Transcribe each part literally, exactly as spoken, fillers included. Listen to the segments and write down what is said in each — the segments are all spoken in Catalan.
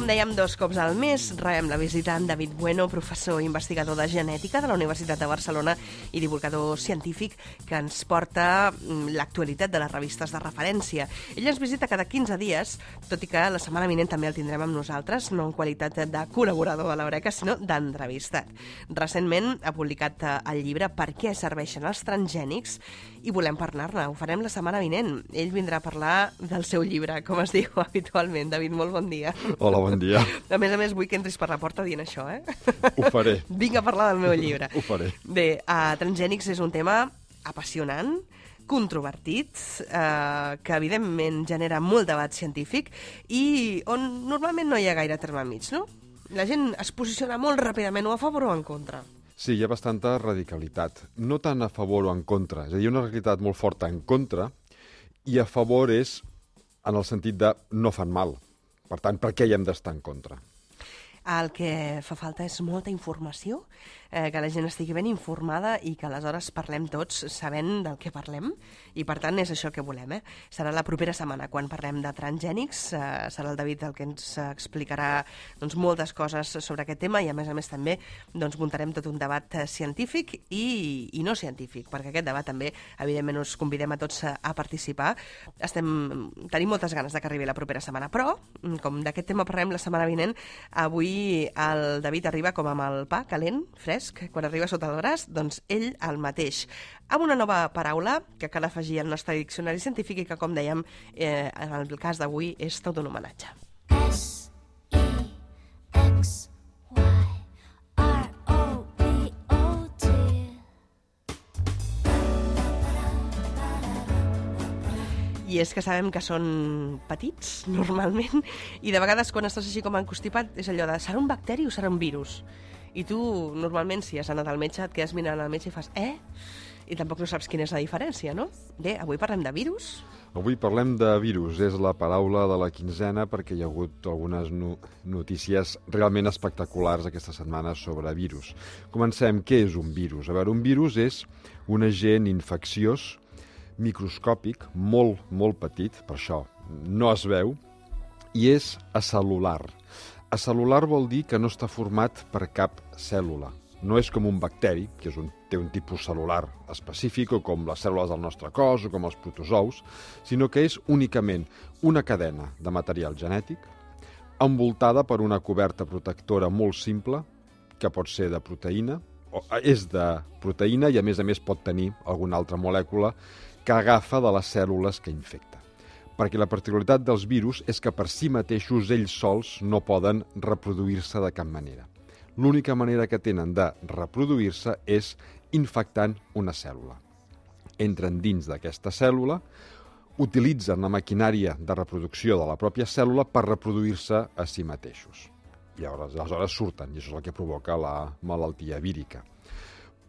com dèiem, dos cops al mes rebem la visita en David Bueno, professor i investigador de genètica de la Universitat de Barcelona i divulgador científic que ens porta l'actualitat de les revistes de referència. Ell ens visita cada quinze dies, tot i que la setmana vinent també el tindrem amb nosaltres, no en qualitat de col·laborador de l'Eureka, sinó d'entrevistat. Recentment ha publicat el llibre Per què serveixen els transgènics i volem parlar-ne. Ho farem la setmana vinent. Ell vindrà a parlar del seu llibre, com es diu habitualment. David, molt bon dia. Hola, bon dia. A més a més, vull que entris per la porta dient això, eh? Ho faré. Vinc a parlar del meu llibre. Ho faré. Bé, uh, transgènics és un tema apassionant, controvertit, eh, que evidentment genera molt debat científic i on normalment no hi ha gaire terme mig, no? La gent es posiciona molt ràpidament o a favor o en contra. Sí, hi ha bastanta radicalitat. No tant a favor o en contra. És a dir, una radicalitat molt forta en contra i a favor és en el sentit de no fan mal. Per tant, per què hi hem d'estar en contra? El que fa falta és molta informació, eh, que la gent estigui ben informada i que aleshores parlem tots sabent del que parlem i per tant és això que volem. Eh? Serà la propera setmana quan parlem de transgènics, eh, serà el David el que ens explicarà doncs, moltes coses sobre aquest tema i a més a més també doncs, muntarem tot un debat científic i, i no científic, perquè aquest debat també evidentment us convidem a tots a, a participar. Estem, tenim moltes ganes de que arribi la propera setmana, però com d'aquest tema parlem la setmana vinent, avui el David arriba com amb el pa calent, fresc, quan arriba sota el braç, doncs ell el mateix. Amb una nova paraula que cal afegir al nostre diccionari científic i que, com dèiem, eh, en el cas d'avui és tot un homenatge. S E X Y R O B O T I és que sabem que són petits, normalment, i de vegades quan estàs així com encostipat és allò de serà un bacteri o serà un virus? I tu, normalment, si has anat al metge, et quedes mirant al metge i fas eh? I tampoc no saps quina és la diferència, no? Bé, avui parlem de virus. Avui parlem de virus. És la paraula de la quinzena perquè hi ha hagut algunes no notícies realment espectaculars aquesta setmana sobre virus. Comencem. Què és un virus? A veure, un virus és un agent infecciós microscòpic, molt, molt petit, per això no es veu, i és acel·lular. Acel·lular vol dir que no està format per cap cèl·lula. No és com un bacteri, que és un, té un tipus cel·lular específic, o com les cèl·lules del nostre cos, o com els protozous, sinó que és únicament una cadena de material genètic envoltada per una coberta protectora molt simple, que pot ser de proteïna, o és de proteïna i a més a més pot tenir alguna altra molècula que agafa de les cèl·lules que infecta. Perquè la particularitat dels virus és que per si mateixos ells sols no poden reproduir-se de cap manera. L'única manera que tenen de reproduir-se és infectant una cèl·lula. Entren dins d'aquesta cèl·lula, utilitzen la maquinària de reproducció de la pròpia cèl·lula per reproduir-se a si mateixos. I aleshores, aleshores surten, i això és el que provoca la malaltia vírica.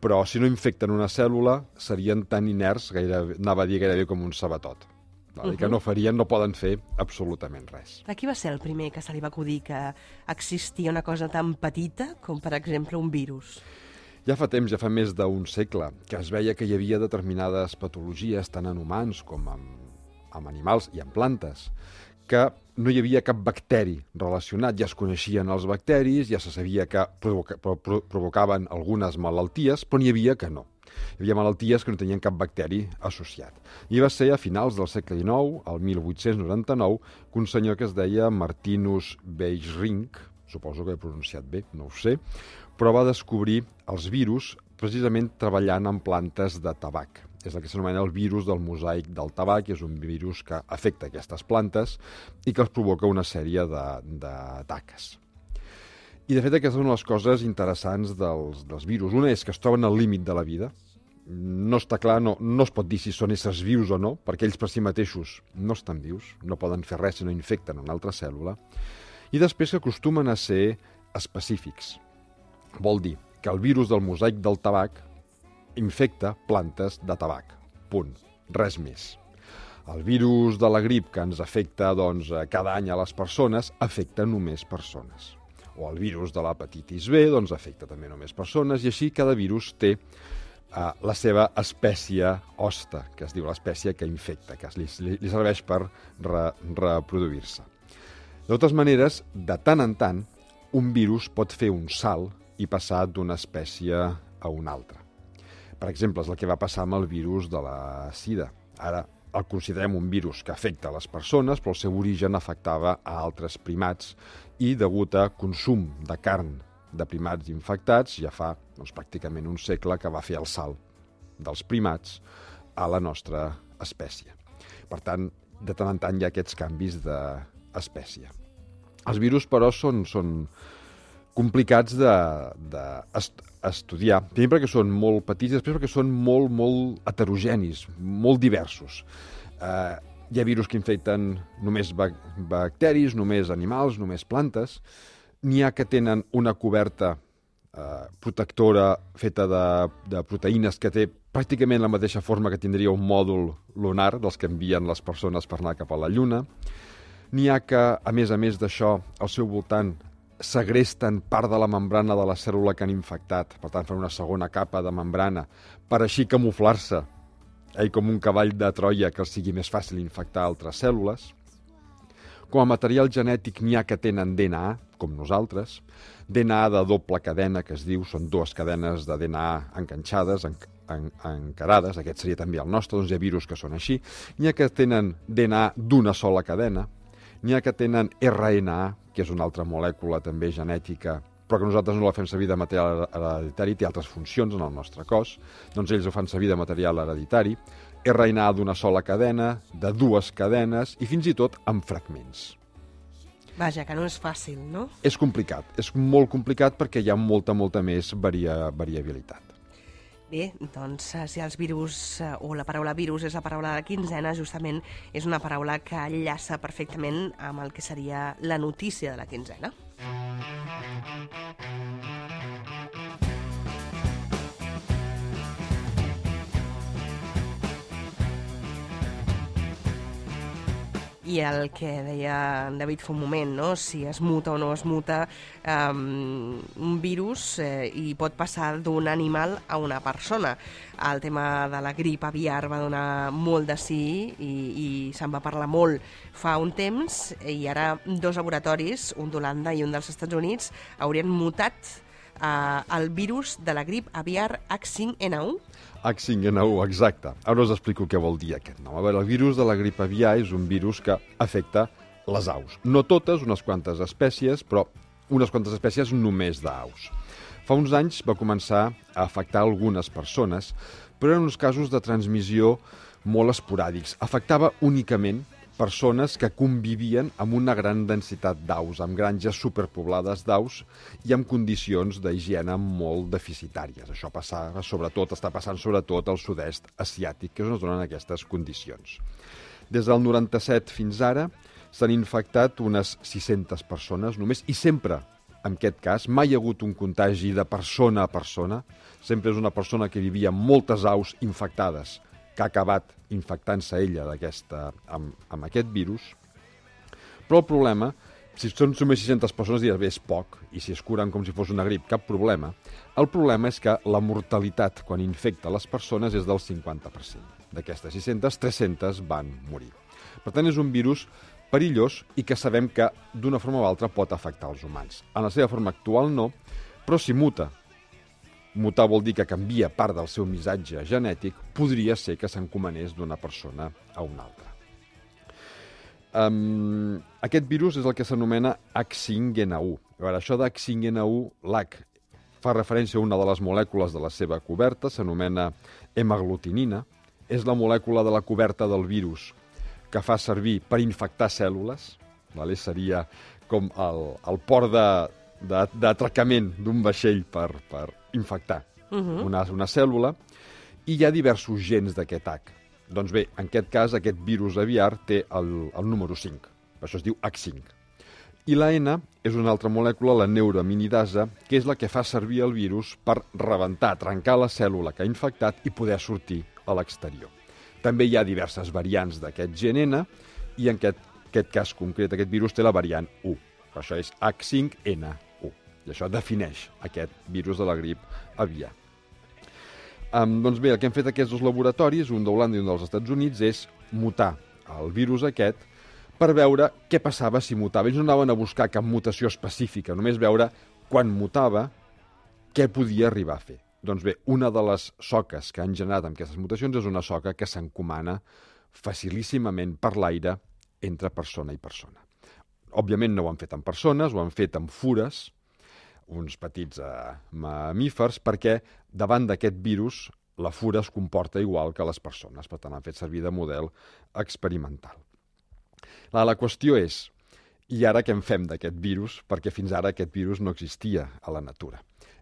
Però si no infecten una cèl·lula, serien tan inerts, gairebé, anava a dir gairebé com un sabatot. Uh-huh. Que no farien, no poden fer absolutament res. A qui va ser el primer que se li va acudir que existia una cosa tan petita com, per exemple, un virus? Ja fa temps, ja fa més d'un segle, que es veia que hi havia determinades patologies, tant en humans com en, en animals i en plantes, que no hi havia cap bacteri relacionat, ja es coneixien els bacteris, ja se sabia que provoca, pro, provocaven algunes malalties, però n'hi havia que no. Hi havia malalties que no tenien cap bacteri associat. I va ser a finals del segle dinou, el mil vuit-cents noranta-nou, que un senyor que es deia Martinus Beijerinck, suposo que he pronunciat bé, no ho sé, però va descobrir els virus precisament treballant en plantes de tabac. És el que s'anomena el virus del mosaic del tabac, que és un virus que afecta aquestes plantes i que els provoca una sèrie de, de taques. I, de fet, aquesta és una de les coses interessants dels, dels virus. Una és que es troben al límit de la vida. No està clar, no, no es pot dir si són éssers vius o no, perquè ells per si mateixos no estan vius, no poden fer res si no infecten una altra cèl·lula. I després que acostumen a ser específics. Vol dir que el virus del mosaic del tabac infecta plantes de tabac. Punt. Res més. El virus de la grip que ens afecta doncs, cada any a les persones afecta només persones. O el virus de l'hepatitis B doncs, afecta també només persones i així cada virus té uh, la seva espècie hoste, que es diu l'espècie que infecta, que li, li serveix per re, reproduir-se. De totes maneres, de tant en tant, un virus pot fer un salt i passar d'una espècie a una altra. Per exemple, és el que va passar amb el virus de la sida. Ara el considerem un virus que afecta les persones, però el seu origen afectava a altres primats i, degut a consum de carn de primats infectats, ja fa doncs, pràcticament un segle que va fer el salt dels primats a la nostra espècie. Per tant, de tant en tant hi ha aquests canvis d'espècie. Els virus, però, són, són complicats d'estudiar, de, primer perquè són molt petits i després perquè són molt, molt heterogenis, molt diversos. Eh, hi ha virus que infecten només bacteris, només animals, només plantes. N'hi ha que tenen una coberta eh, protectora feta de, de proteïnes que té pràcticament la mateixa forma que tindria un mòdul lunar dels que envien les persones per anar cap a la Lluna. N'hi ha que, a més a més d'això, al seu voltant segresten part de la membrana de la cèl·lula que han infectat, per tant fan una segona capa de membrana per així camuflar-se, eh, com un cavall de Troia que els sigui més fàcil infectar altres cèl·lules. Com a material genètic n'hi ha que tenen D N A, com nosaltres, D N A de doble cadena, que es diu, són dues cadenes de D N A enganxades, en, en, encarades, aquest seria també el nostre, doncs hi ha virus que són així. N'hi ha que tenen D N A d'una sola cadena, n'hi ha que tenen R N A, que és una altra molècula també genètica, però que nosaltres no la fem servir de material hereditari, té altres funcions en el nostre cos, doncs ells ho fan servir de material hereditari, R N A d'una sola cadena, de dues cadenes i fins i tot amb fragments. Vaja, que no és fàcil, no? És complicat, és molt complicat perquè hi ha molta, molta més varia, variabilitat. Bé, doncs, si els virus, o la paraula virus és la paraula de la quinzena, justament és una paraula que enllaça perfectament amb el que seria la notícia de la quinzena. I el que deia en David fa un moment, no? Si es muta o no es muta um, un virus eh, i pot passar d'un animal a una persona. El tema de la grip aviar va donar molt de sí i, i se'n va parlar molt fa un temps i ara dos laboratoris, un d'Holanda i un dels Estats Units, haurien mutat eh, el virus de la grip aviar H cinc N un. H cinc N un, exacte. Ara us explico què vol dir aquest nom. A veure, el virus de la grip aviar és un virus que afecta les aus. No totes, unes quantes espècies, però unes quantes espècies només d'aus. Fa uns anys va començar a afectar algunes persones, però eren uns casos de transmissió molt esporàdics. Afectava únicament persones que convivien amb una gran densitat d'aus, amb granges superpoblades d'aus i amb condicions d'higiene molt deficitàries. Això passava sobretot, està passant sobretot al sud-est asiàtic, que és on es donen aquestes condicions. Des del noranta-set fins ara s'han infectat unes sis-centes persones només, i sempre, en aquest cas, mai hi ha hagut un contagi de persona a persona, sempre és una persona que vivia amb moltes aus infectades, que ha acabat infectant-se ella amb, amb aquest virus. Però el problema, si són només sis-centes persones, diràs, bé, és poc, i si es curen com si fos una grip, cap problema. El problema és que la mortalitat quan infecta les persones és del cinquanta per cent. D'aquestes sis-centes, tres-centes van morir. Per tant, és un virus perillós i que sabem que d'una forma o altra pot afectar els humans. En la seva forma actual no, però si muta, mutar vol dir que canvia part del seu missatge genètic, podria ser que s'encomanés d'una persona a una altra. Um, aquest virus és el que s'anomena H cinc N un. A veure, això de H cinc N un, l'H fa referència a una de les molècules de la seva coberta, s'anomena hemaglutinina, és la molècula de la coberta del virus que fa servir per infectar cèl·lules, vale? Seria com el, el port de, de, d'atracament d'un vaixell per, per infectar uh-huh. una, una cèl·lula, i hi ha diversos gens d'aquest H. Doncs bé, en aquest cas, aquest virus aviar té el, el número cinc, per això es diu H cinc. I la N és una altra molècula, la neuraminidasa, que és la que fa servir el virus per rebentar, trencar la cèl·lula que ha infectat i poder sortir a l'exterior. També hi ha diverses variants d'aquest gen N, i en aquest, aquest cas concret, aquest virus té la variant u. Per això és H cinc N un. I això defineix aquest virus de la grip aviar. Um, doncs bé, el que han fet aquests dos laboratoris, un d'Holanda i un dels Estats Units, és mutar el virus aquest per veure què passava si mutava. Ells no anaven a buscar cap mutació específica, només veure quan mutava què podia arribar a fer. Doncs bé, una de les soques que han generat amb aquestes mutacions és una soca que s'encomana facilíssimament per l'aire entre persona i persona. Òbviament no ho han fet en persones, ho han fet en fures, uns petits eh, mamífers, perquè davant d'aquest virus la fura es comporta igual que les persones, per tant han fet servir de model experimental. La, la qüestió és, i ara què en fem d'aquest virus? Perquè fins ara aquest virus no existia a la natura.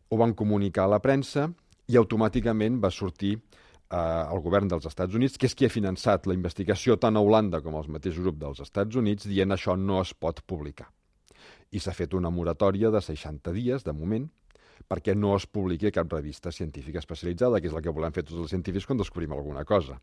Ho van comunicar a la premsa i automàticament va sortir eh, el govern dels Estats Units, que és qui ha finançat la investigació tant a Holanda com als mateixos grups dels Estats Units, dient això no es pot publicar. I s'ha fet una moratòria de seixanta dies, de moment, perquè no es publiqui a cap revista científica especialitzada, que és el que volem fer tots els científics quan descobrim alguna cosa.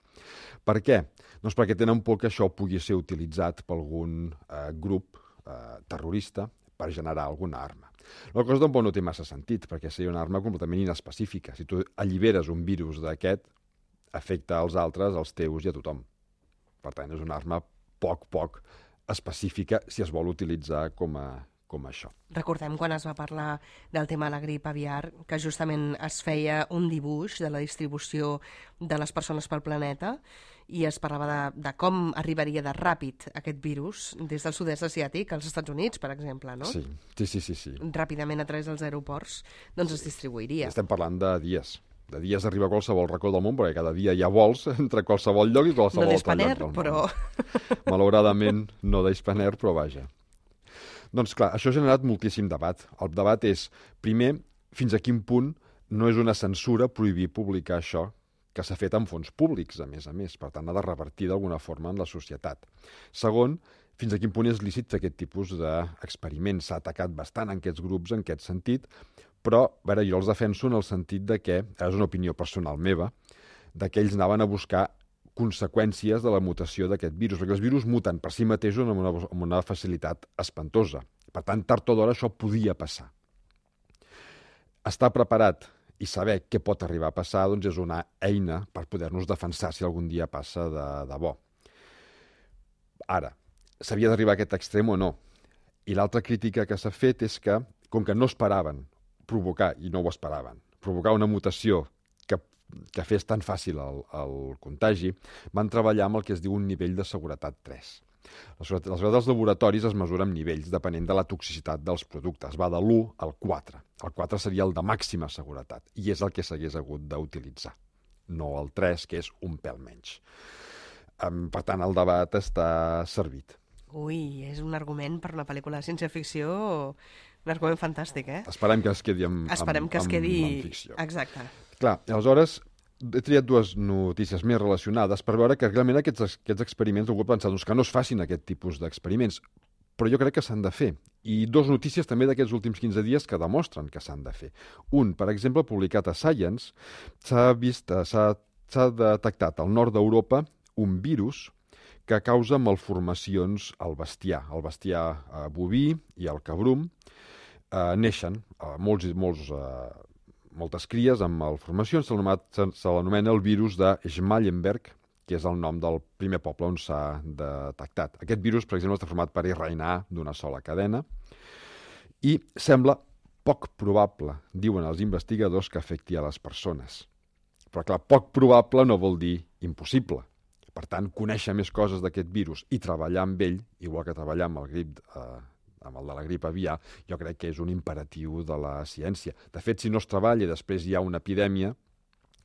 Per què? Doncs perquè tenen por que això pugui ser utilitzat per algun eh, grup eh, terrorista per generar alguna arma. La cosa tampoc no té massa sentit, perquè seria una arma completament inespecífica. Si tu alliberes un virus d'aquest, afecta als altres, als teus i a tothom. Per tant, és una arma poc, poc específica si es vol utilitzar com a, com això. Recordem quan es va parlar del tema de la grip aviar, que justament es feia un dibuix de la distribució de les persones pel planeta i es parlava de, de com arribaria de ràpid aquest virus des del sud-est asiàtic als Estats Units, per exemple, no? Sí, sí, sí, sí, sí. Ràpidament a través dels aeroports, doncs es distribuiria. Estem parlant de dies. De dies arriba a qualsevol racó del món, perquè cada dia hi ha vols entre qualsevol lloc i qualsevol no altre lloc del món. però... Malauradament, no d'Hispaner, però vaja. Doncs clar, això ha generat moltíssim debat. El debat és, primer, fins a quin punt no és una censura prohibir publicar això que s'ha fet amb fons públics, a més a més. Per tant, ha de revertir d'alguna forma en la societat. Segon, fins a quin punt és lícit fer aquest tipus d'experiments. S'ha atacat bastant en aquests grups en aquest sentit, però a veure, jo els defenso en el sentit de que, és una opinió personal meva, de que ells anaven a buscar conseqüències de la mutació d'aquest virus, perquè els virus muten per si mateixos amb una, amb una facilitat espantosa. Per tant, tard o d'hora això podia passar. Estar preparat i saber què pot arribar a passar doncs és una eina per poder-nos defensar si algun dia passa de, de bo. Ara, s'havia d'arribar a aquest extrem o no? I l'altra crítica que s'ha fet és que, com que no esperaven provocar, i no ho esperaven, provocar una mutació que, que fes tan fàcil el, el contagi, van treballar amb el que es diu un nivell de seguretat tres. La seguretat, la seguretat dels laboratoris es mesura amb nivells depenent de la toxicitat dels productes. Va de l'u al quatre. El quatre seria el de màxima seguretat i és el que s'hagués hagut d'utilitzar, no el tres, que és un pèl menys. Um, per tant, el debat està servit. Ui, és un argument per una pel·lícula de ciència-ficció, un argument fantàstic, eh? Esperem que es quedi amb, Esperem amb, que es quedi... amb, amb ficció. Exacte. Clar, aleshores, he triat dues notícies més relacionades per veure que realment aquests, aquests experiments, algú ha pensat doncs, que no es facin aquest tipus d'experiments, però jo crec que s'han de fer. I dues notícies també d'aquests últims quinze dies que demostren que s'han de fer. Un, per exemple, publicat a Science, s'ha vist, s'ha s'ha detectat al nord d'Europa un virus que causa malformacions al bestiar. El bestiar eh, boví i el cabrum eh, neixen eh, molts, molts, eh, moltes cries amb malformacions. Se l'anomena el virus de Schmallenberg, que és el nom del primer poble on s'ha detectat. Aquest virus, per exemple, està format per erre ena a d'una sola cadena i sembla poc probable, diuen els investigadors, que afecti a les persones. Però, clar, poc probable no vol dir impossible. Per tant, conèixer més coses d'aquest virus i treballar amb ell, igual que treballar amb el grip, eh, amb el de la grip aviar, jo crec que és un imperatiu de la ciència. De fet, si no es treballa i després hi ha una epidèmia,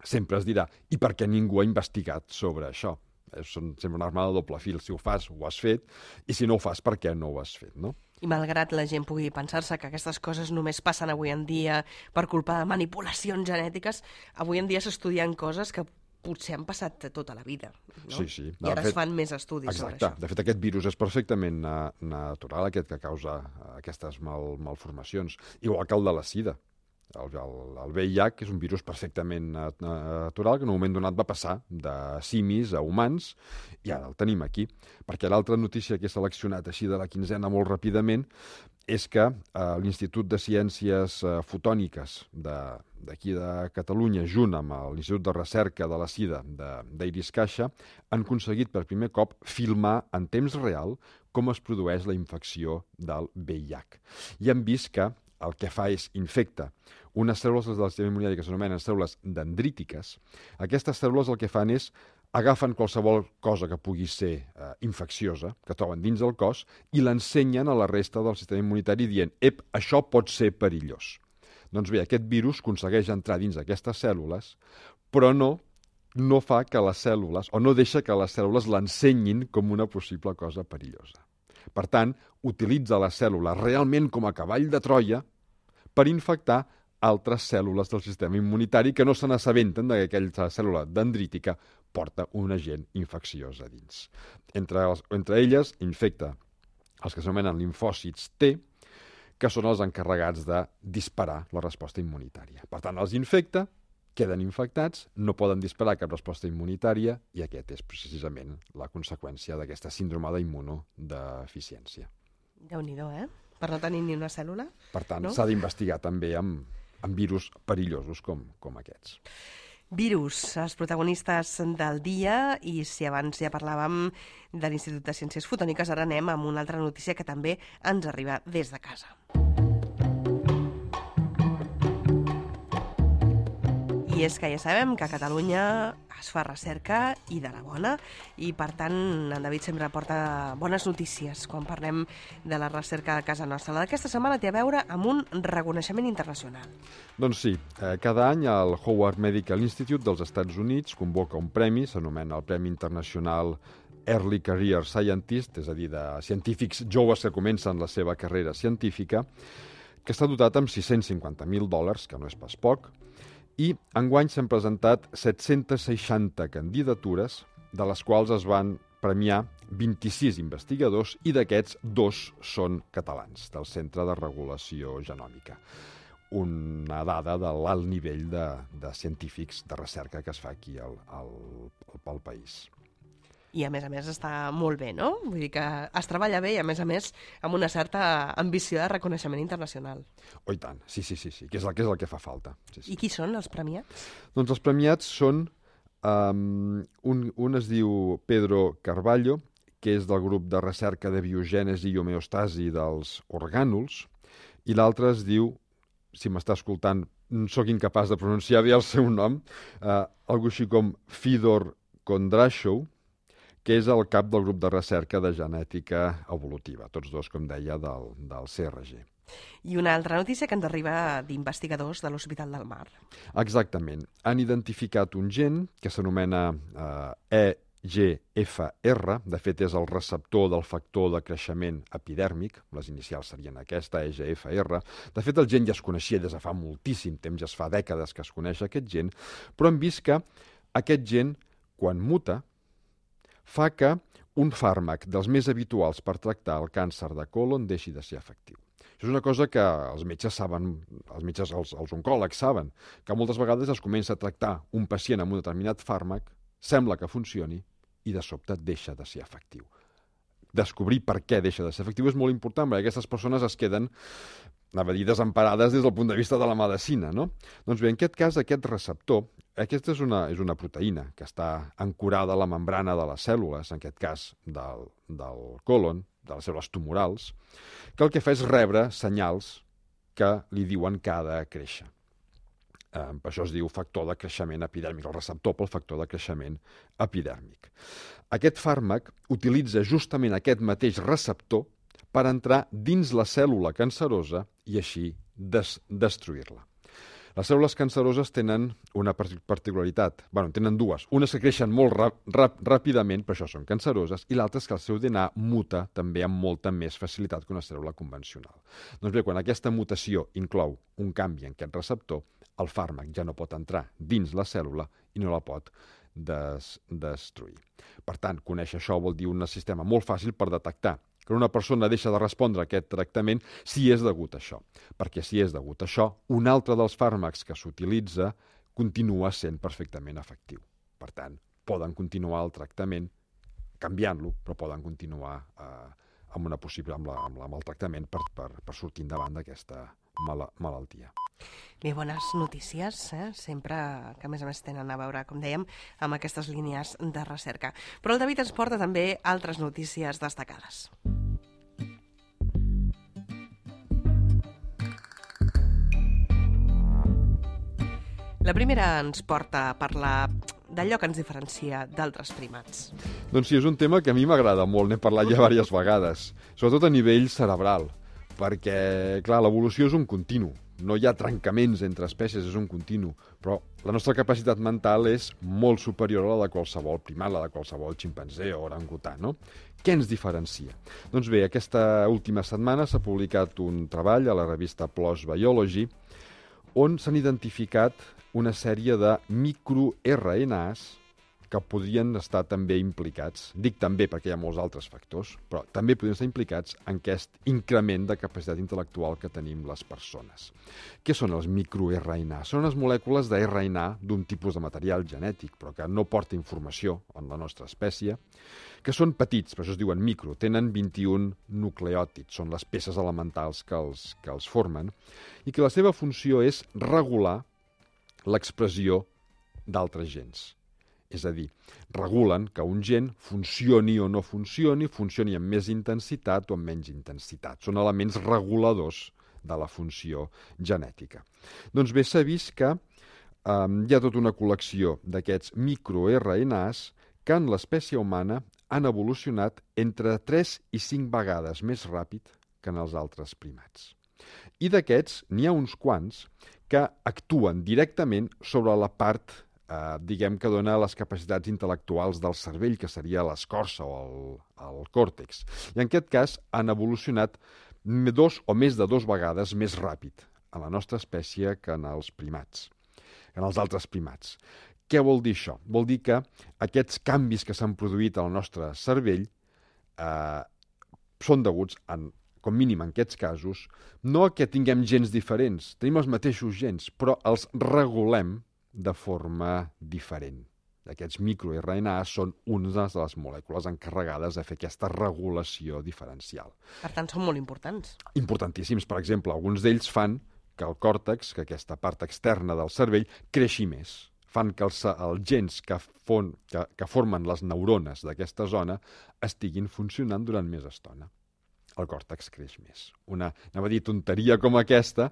sempre es dirà, i per què ningú ha investigat sobre això? És sempre una arma de doble fil. Si ho fas, ho has fet, i si no ho fas, per què no ho has fet, no? I malgrat la gent pugui pensar-se que aquestes coses només passen avui en dia per culpa de manipulacions genètiques, avui en dia s'estudien coses que potser han passat tota la vida, no? Sí, sí. I ara es fan més estudis sobre això. Exacte. De fet, aquest virus és perfectament natural, aquest que causa aquestes mal, malformacions. Igual que el de la sida. El, el, el ve i hac és un virus perfectament natural que en un moment donat va passar de simis a humans i ara el tenim aquí. Perquè l'altra notícia que he seleccionat així de la quinzena molt ràpidament és que eh, l'Institut de Ciències eh, Fotòniques d'aquí de, de Catalunya, junt amb l'Institut de Recerca de la Sida d'Iris Caixa, han aconseguit per primer cop filmar en temps real com es produeix la infecció del V I H. I han vist que el que fa és infecta unes cèl·lules del sistema immunitari que s'anomenen cèl·lules dendrítiques. Aquestes cèl·lules el que fan és agafen qualsevol cosa que pugui ser eh, infecciosa, que troben dins del cos, i l'ensenyen a la resta del sistema immunitari dient «Ep, això pot ser perillós». Doncs bé, aquest virus aconsegueix entrar dins aquestes cèl·lules, però no, no fa que les cèl·lules, o no deixa que les cèl·lules l'ensenyin com una possible cosa perillosa. Per tant, utilitza la cèl·lula realment com a cavall de Troia per infectar altres cèl·lules del sistema immunitari que no se n'assabenten que aquella cèl·lula dendrítica porta un agent infecciós a dins. Entre, els, entre elles infecta els que s'anomenen linfòcits T, que són els encarregats de disparar la resposta immunitària. Per tant, els infecta, queden infectats, no poden disparar cap resposta immunitària i aquest és precisament la conseqüència d'aquesta síndrome d'immunodeficiència. Déu-n'hi-do, eh? Per no tenir ni una cèl·lula. Per tant, no? S'ha d'investigar també amb, amb virus perillosos com, com aquests. Virus, els protagonistes del dia, i si abans ja parlàvem de l'Institut de Ciències Fotòniques, ara anem amb una altra notícia que també ens arriba des de casa. I és que ja sabem que a Catalunya es fa recerca i de la bona, i per tant en David sempre porta bones notícies quan parlem de la recerca a casa nostra. La d'aquesta setmana té a veure amb un reconeixement internacional. Doncs sí, eh, cada any el Howard Medical Institute dels Estats Units convoca un premi, s'anomena el Premi Internacional Early Career Scientist, és a dir, de científics joves que comencen la seva carrera científica, que està dotat amb sis-cents cinquanta mil dòlars, que no és pas poc, i enguany s'han presentat set-cents seixanta candidatures, de les quals es van premiar vint-i-sis investigadors i d'aquests dos són catalans, del Centre de Regulació Genòmica. Una dada de l'alt nivell de, de científics de recerca que es fa aquí al, al, al país. I a més a més està molt bé, no? Vull dir que es treballa bé i a més a més amb una certa ambició de reconeixement internacional. Oh, i tant, sí, sí, sí, sí, que és el que, és el que fa falta. Sí, sí. I qui són els premiats? Doncs els premiats són, um, un, un es diu Pedro Carballo, que és del grup de recerca de biogènesi i homeostasi dels orgànuls, i l'altre es diu, si m'està escoltant, sóc incapaç de pronunciar bé el seu nom, uh, algo així com Fidor Kondrashov, que és el cap del grup de recerca de genètica evolutiva, tots dos, com deia, del, del C R G. I una altra notícia que ens arriba d'investigadors de l'Hospital del Mar. Exactament. Han identificat un gen que s'anomena eh, E G F R, de fet és el receptor del factor de creixement epidèrmic, les inicials serien aquesta, E G F R. De fet, el gen ja es coneixia des de fa moltíssim temps, ja es fa dècades que es coneix aquest gen, però hem vist que aquest gen, quan muta, fa que un fàrmac dels més habituals per tractar el càncer de còlon deixi de ser efectiu. Això és una cosa que els metges saben, els metges, els, els oncòlegs saben, que moltes vegades es comença a tractar un pacient amb un determinat fàrmac, sembla que funcioni i de sobte deixa de ser efectiu. Descobrir per què deixa de ser efectiu és molt important, perquè aquestes persones es queden, anava a dir, desemparades des del punt de vista de la medicina, no? Doncs bé, en aquest cas, aquest receptor, aquesta és una, és una proteïna que està ancorada a la membrana de les cèl·lules, en aquest cas del, del còlon, de les cèl·lules tumorals, que el que fa és rebre senyals que li diuen que ha de créixer. Eh, per això es diu factor de creixement epidèrmic, el receptor pel factor de creixement epidèrmic. Aquest fàrmac utilitza justament aquest mateix receptor per entrar dins la cèl·lula cancerosa i així des destruir-la. Les cèl·lules canceroses tenen una particularitat, bueno, en tenen dues. Unes que creixen molt rap, rap, ràpidament, per això són canceroses, i l'altra és que el seu D N A muta també amb molta més facilitat que una cèl·lula convencional. Doncs bé, quan aquesta mutació inclou un canvi en aquest receptor, el fàrmac ja no pot entrar dins la cèl·lula i no la pot des destruir. Per tant, conèixer això vol dir un sistema molt fàcil per detectar que una persona deixa de respondre a aquest tractament si és degut a això. Perquè si és degut a això, un altre dels fàrmacs que s'utilitza continua sent perfectament efectiu. Per tant, poden continuar el tractament canviant-lo, però poden continuar eh, amb, una possible, amb, la, amb, la, amb el tractament per, per, per sortir endavant d'aquesta mala, malaltia. Bé, bones notícies, eh? Sempre que a més a més tenen a veure, com dèiem, amb aquestes línies de recerca. Però el David ens porta també altres notícies destacades. La primera ens porta a parlar d'allò que ens diferencia d'altres primats. Doncs sí, és un tema que a mi m'agrada molt, n'he parlat ja diverses vegades, sobretot a nivell cerebral, perquè, clar, l'evolució és un continu, no hi ha trencaments entre espècies, és un continu, però la nostra capacitat mental és molt superior a la de qualsevol primat, la de qualsevol ximpanzé o orangutà, no? Què ens diferencia? Doncs bé, aquesta última setmana s'ha publicat un treball a la revista PLOS Biology on s'han identificat una sèrie de microR N As que podrien estar també implicats, dic també perquè hi ha molts altres factors, però també podrien estar implicats en aquest increment de capacitat intel·lectual que tenim les persones. Què són els microR N A? Són les molècules de R N A d'un tipus de material genètic, però que no porta informació en la nostra espècie, que són petits, per això es diuen micro, tenen vint-i-un nucleòtids, són les peces elementals que els, que els formen, i que la seva funció és regular l'expressió d'altres gens. És a dir, regulen que un gen funcioni o no funcioni, funcioni amb més intensitat o amb menys intensitat. Són elements reguladors de la funció genètica. Doncs bé, s'ha vist que eh, hi ha tota una col·lecció d'aquests microR N As que en l'espècie humana han evolucionat entre tres i cinc vegades més ràpid que en els altres primats. I d'aquests n'hi ha uns quants que actuen directament sobre la part Eh, diguem que dona les capacitats intel·lectuals del cervell, que seria l'escorça o el, el còrtex. I en aquest cas han evolucionat dos o més de dos vegades més ràpid en la nostra espècie que en els primats, en els altres primats. Què vol dir això? Vol dir que aquests canvis que s'han produït al nostre cervell eh, són deguts, en, com mínim en aquests casos, no a que tinguem gens diferents, tenim els mateixos gens, però els regulem de forma diferent. Aquests microR N A són unes de les molècules encarregades de fer aquesta regulació diferencial. Per tant, són molt importants. Importantíssims. Per exemple, alguns d'ells fan que el còrtex, que aquesta part externa del cervell, creixi més. Fan que els, els gens que, fon, que, que formen les neurones d'aquesta zona estiguin funcionant durant més estona. El còrtex creix més. Una, anava a dir, tonteria com aquesta,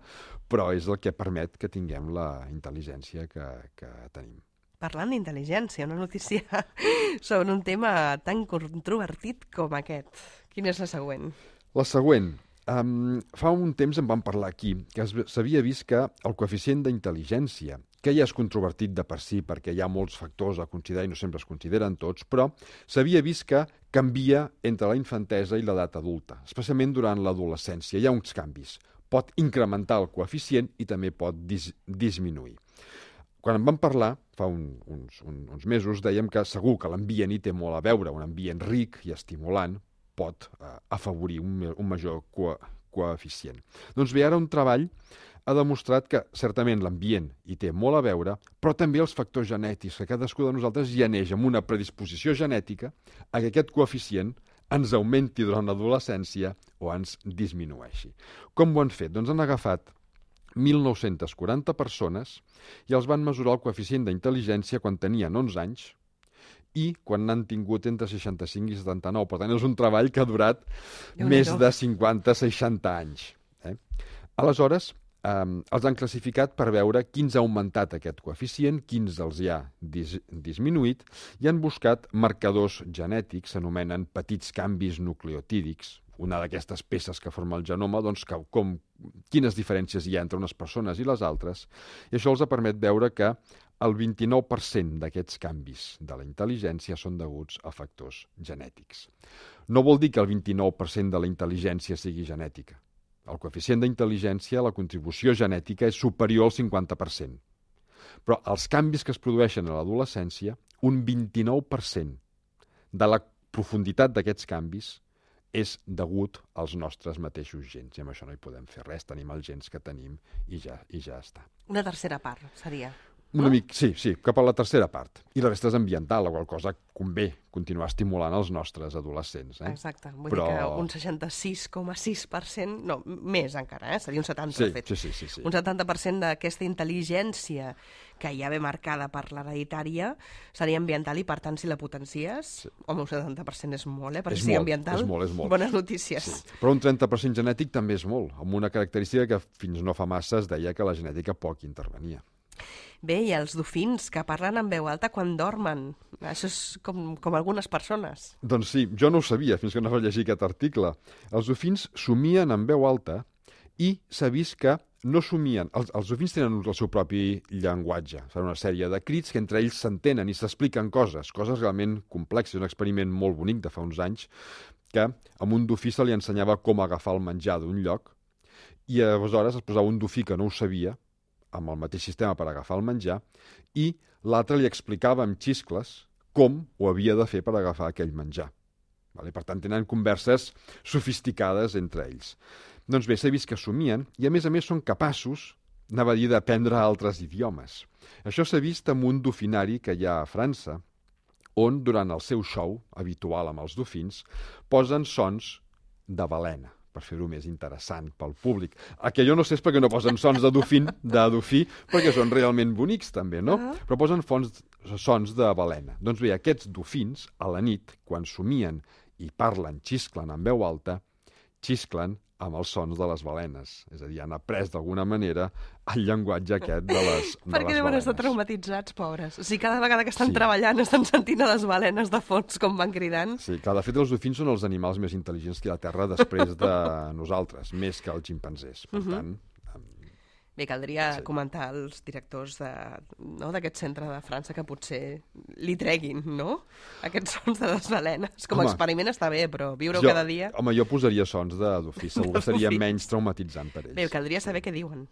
però és el que permet que tinguem la intel·ligència que, que tenim. Parlant d'intel·ligència, una notícia sobre un tema tan controvertit com aquest. Quina és la següent? La següent. Um, fa un temps en vam parlar aquí, que s'havia vist que el coeficient d'intel·ligència, que ja és controvertit de per si perquè hi ha molts factors a considerar i no sempre es consideren tots, però s'havia vist que canvia entre la infantesa i l'edat adulta, especialment durant l'adolescència. Hi ha uns canvis. Pot incrementar el coeficient i també pot dis disminuir. Quan en vam parlar, fa un, uns, un, uns mesos, dèiem que segur que l'ambient hi té molt a veure, un ambient ric i estimulant pot eh, afavorir un, un major co coeficient. Doncs bé, ara un treball ha demostrat que certament l'ambient hi té molt a veure, però també els factors genètics, que cadascú de nosaltres ja neix amb una predisposició genètica a que aquest coeficient ens augmenti durant l'adolescència o ens disminueixi. Com ho han fet? Doncs han agafat mil nou-centes quaranta persones i els van mesurar el coeficient d'intel·ligència quan tenien onze anys i quan n'han tingut entre seixanta-cinc i setanta-nou. Per tant, és un treball que ha durat més de cinquanta a seixanta anys. Eh? Aleshores, eh, els han classificat per veure quins ha augmentat aquest coeficient, quins els hi ha dis disminuït, i han buscat marcadors genètics, s'anomenen petits canvis nucleotídics, una d'aquestes peces que forma el genoma, doncs, que, com, quines diferències hi ha entre unes persones i les altres, i això els ha permet veure que el vint-i-nou per cent d'aquests canvis de la intel·ligència són deguts a factors genètics. No vol dir que el vint-i-nou per cent de la intel·ligència sigui genètica. El coeficient d'intel·ligència, la contribució genètica, és superior al cinquanta per cent. Però els canvis que es produeixen a l'adolescència, un vint-i-nou per cent de la profunditat d'aquests canvis és degut als nostres mateixos gens. I amb això no hi podem fer res, tenim els gens que tenim i ja, i ja està. Una tercera part seria? Una no? mica, sí, sí, cap a la tercera part. I la resta és ambiental, la qual cosa convé continuar estimulant els nostres adolescents. Eh? Exacte, vull Però... dir que un seixanta-sis coma sis per cent, no, més encara, eh? seria un setanta per cent, sí, sí, sí, sí, sí. un setanta per cent d'aquesta intel·ligència que ja ve marcada per l'hereditària seria ambiental i, per tant, si la potencies, sí. home, un setanta per cent és molt, eh? Per és si sigui molt, ambiental, és molt, és molt. bones notícies. Sí. Però un trenta per cent genètic també és molt, amb una característica que fins no fa massa es deia que la genètica poc intervenia. Bé, i els dofins, que parlen en veu alta quan dormen. Això és com, com algunes persones. Doncs sí, jo no ho sabia fins que no vaig llegir aquest article. Els dofins somien en veu alta i s'ha vist que no somien. Els, els dofins tenen el seu propi llenguatge. Fan una sèrie de crits que entre ells s'entenen i s'expliquen coses, coses realment complexes. Un experiment molt bonic de fa uns anys que a un dofí se li ensenyava com agafar el menjar d'un lloc i aleshores es posava un dofí que no ho sabia amb el mateix sistema per agafar el menjar, i l'altre li explicava amb xiscles com ho havia de fer per agafar aquell menjar. Vale? Per tant, tenen converses sofisticades entre ells. Doncs bé, s'ha vist que somien, i a més a més són capaços, anava a dir, d'aprendre altres idiomes. Això s'ha vist amb un dofinari que hi ha a França, on, durant el seu show habitual amb els dofins, posen sons de balena, per fer-ho més interessant pel públic. El que jo no sé és perquè no posen sons de dofín, de dofí, perquè són realment bonics també, no? Uh-huh. Però posen fons, sons de balena. Doncs bé, aquests dofins, a la nit, quan somien i parlen, xisclen en veu alta, xisclen amb els sons de les balenes. És a dir, han après d'alguna manera el llenguatge aquest de les, de Perquè les deuen balenes. estar traumatitzats, pobres. O sigui, cada vegada que estan Sí. treballant estan sentint a les balenes de fons com van cridant. Sí, que de fet els dofins són els animals més intel·ligents que hi ha a la Terra després de nosaltres, més que els ximpanzés. Per Mhm. tant, Bé, caldria Sí. comentar als directors de, no, d'aquest centre de França que potser li treguin, no?, aquests sons de les balenes. Com a Home, experiment està bé, però viure-ho jo, cada dia... home, jo posaria sons de dofí, segur que seria dofí. menys traumatitzant per ells. Bé, caldria saber què diuen.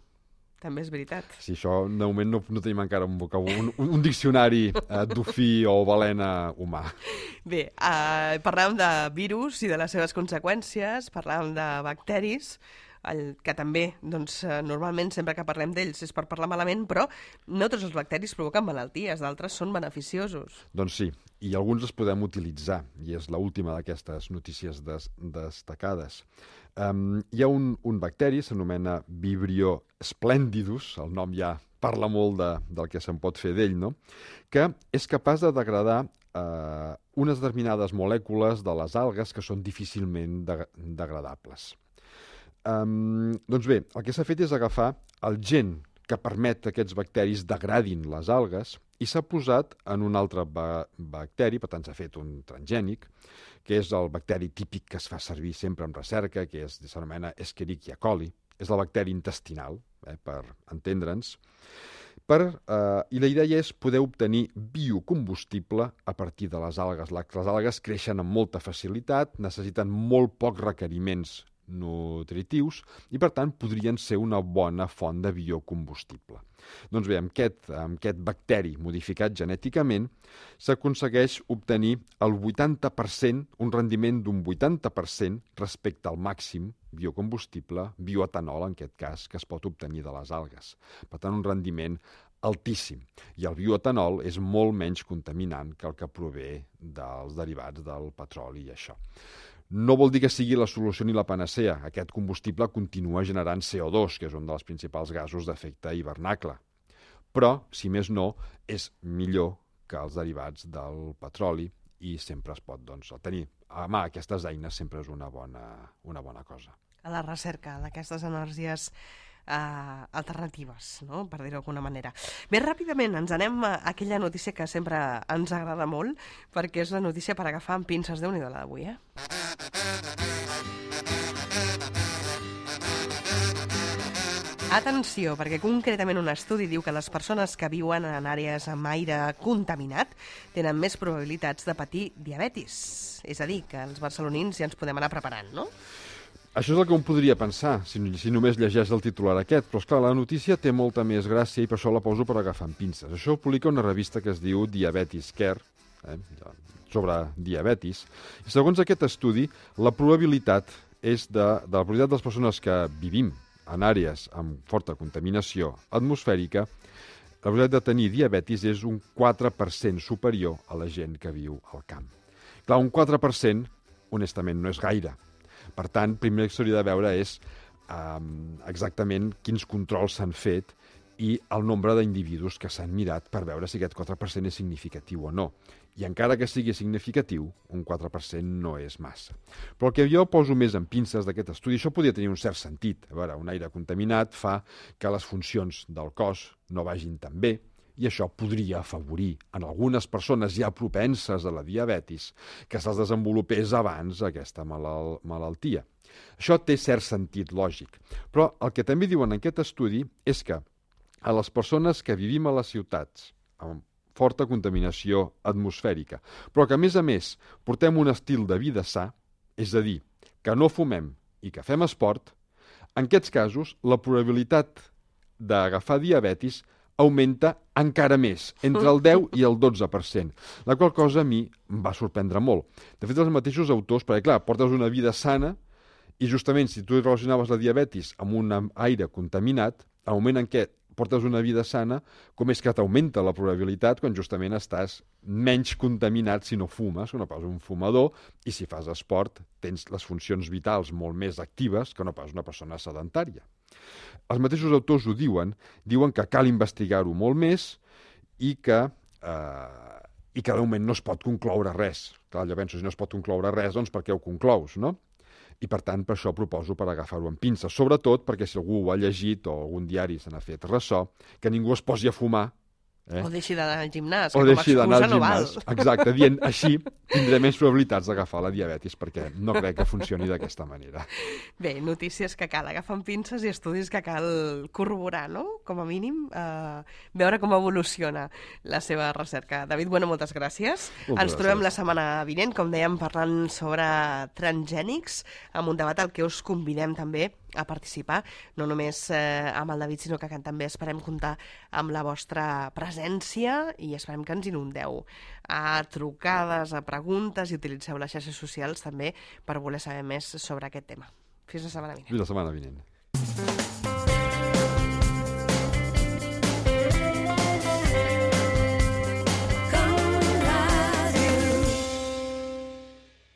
També és veritat. Sí, això de moment no, no tenim encara un vocabulari, un, un diccionari eh, dofí o balena humà. Bé, eh, parlàvem de virus i de les seves conseqüències, parlàvem de bacteris, el, que també, doncs, eh, normalment, sempre que parlem d'ells és per parlar malament, però no tots els bacteris provoquen malalties, d'altres són beneficiosos. Doncs sí, i alguns els podem utilitzar, i és l'última d'aquestes notícies des, destacades. Um, hi ha un, un bacteri, s'anomena Vibrio splendidus, el nom ja parla molt de, del que se'n pot fer d'ell, no?, que és capaç de degradar eh, unes determinades molècules de les algues que són difícilment de, degradables. Um, doncs bé, el que s'ha fet és agafar el gen que permet que aquests bacteris degradin les algues i s'ha posat en un altre ba bacteri, per tant s'ha fet un transgènic, que és el bacteri típic que es fa servir sempre en recerca, que s'anomena Escherichia coli, és el bacteri intestinal, eh, per entendre'ns, per, eh, i la idea és poder obtenir biocombustible a partir de les algues. Les algues creixen amb molta facilitat, necessiten molt pocs requeriments nutritius i, per tant, podrien ser una bona font de biocombustible. Doncs bé, amb aquest, amb aquest bacteri modificat genèticament s'aconsegueix obtenir el vuitanta per cent, un rendiment d'un vuitanta per cent respecte al màxim biocombustible, bioetanol en aquest cas, que es pot obtenir de les algues. Per tant, un rendiment altíssim. I el bioetanol és molt menys contaminant que el que prové dels derivats del petroli i això. No vol dir que sigui la solució ni la panacea. Aquest combustible continua generant C O dos, que és un dels principals gasos d'efecte hivernacle. Però, si més no, és millor que els derivats del petroli i sempre es pot, doncs, tenir a mà aquestes eines sempre és una bona, una bona cosa. A la recerca d'aquestes energies Uh, alternatives, no?, per dir-ho d'alguna manera. Bé, ràpidament ens anem a aquella notícia que sempre ens agrada molt, perquè és la notícia per agafar amb pinces. Déu-n'hi-do la d'avui, eh? Atenció, perquè concretament un estudi diu que les persones que viuen en àrees amb aire contaminat tenen més probabilitats de patir diabetis. És a dir, que els barcelonins ja ens podem anar preparant, no? Això és el que un podria pensar, si, si només llegeix el titular aquest, però esclar, la notícia té molta més gràcia i per això la poso per agafar amb pinces. Això ho publica una revista que es diu Diabetes Care, eh, sobre diabetis, i segons aquest estudi, la probabilitat és de, de la probabilitat de les persones que vivim en àrees amb forta contaminació atmosfèrica la probabilitat de tenir diabetis és un quatre per cent superior a la gent que viu al camp. Clar, un quatre per cent, honestament, no és gaire. Per tant, primer que s'hauria de veure és um, exactament quins controls s'han fet i el nombre d'individus que s'han mirat per veure si aquest quatre per cent és significatiu o no. I encara que sigui significatiu, un quatre per cent no és massa. Però el que jo poso més en pinces d'aquest estudi, això podria tenir un cert sentit. A veure, un aire contaminat fa que les funcions del cos no vagin tan bé, i això podria afavorir en algunes persones ja propenses a la diabetis que se'ls desenvolupés abans aquesta malal malaltia. Això té cert sentit lògic. Però el que també diuen en aquest estudi és que a les persones que vivim a les ciutats amb forta contaminació atmosfèrica, però que a més a més portem un estil de vida sa, és a dir, que no fumem i que fem esport, en aquests casos la probabilitat d'agafar diabetis augmenta encara més, entre el deu i el dotze per cent, la qual cosa a mi em va sorprendre molt. De fet, els mateixos autors, perquè clar, portes una vida sana i justament si tu relacionaves la diabetis amb un aire contaminat, al moment en què portes una vida sana, com és que t'augmenta la probabilitat quan justament estàs menys contaminat si no fumes, que no pas un fumador, i si fas esport tens les funcions vitals molt més actives que no pas una persona sedentària. Els mateixos autors ho diuen, diuen que cal investigar-ho molt més i que, eh, i que de moment no es pot concloure res. Clar, jo penso, si no es pot concloure res, doncs per què ho conclous, no? I, per tant, per això proposo per agafar-ho amb pinces. Sobretot perquè si algú ho ha llegit o algun diari se n'ha fet ressò, que ningú es posi a fumar. Eh? O deixi d'anar al gimnàs, o que com a deixi d'anar al excusa no gimnàs. val. Exacte, dient així tindré més probabilitats d'agafar la diabetis, perquè no crec que funcioni d'aquesta manera. Bé, notícies que cal agafar amb pinces i estudis que cal corroborar, no? Com a mínim, eh, veure com evoluciona la seva recerca. David Bueno, moltes gràcies. Moltes Ens trobem gràcies. la setmana vinent, com dèiem, parlant sobre transgènics, amb un debat al que us convidem també a participar, no només eh, amb el David, sinó que també esperem comptar amb la vostra presència i esperem que ens inundeu a trucades, a preguntes i utilitzeu les xarxes socials també per voler saber més sobre aquest tema. Fins la setmana vinent. Fins la setmana vinent.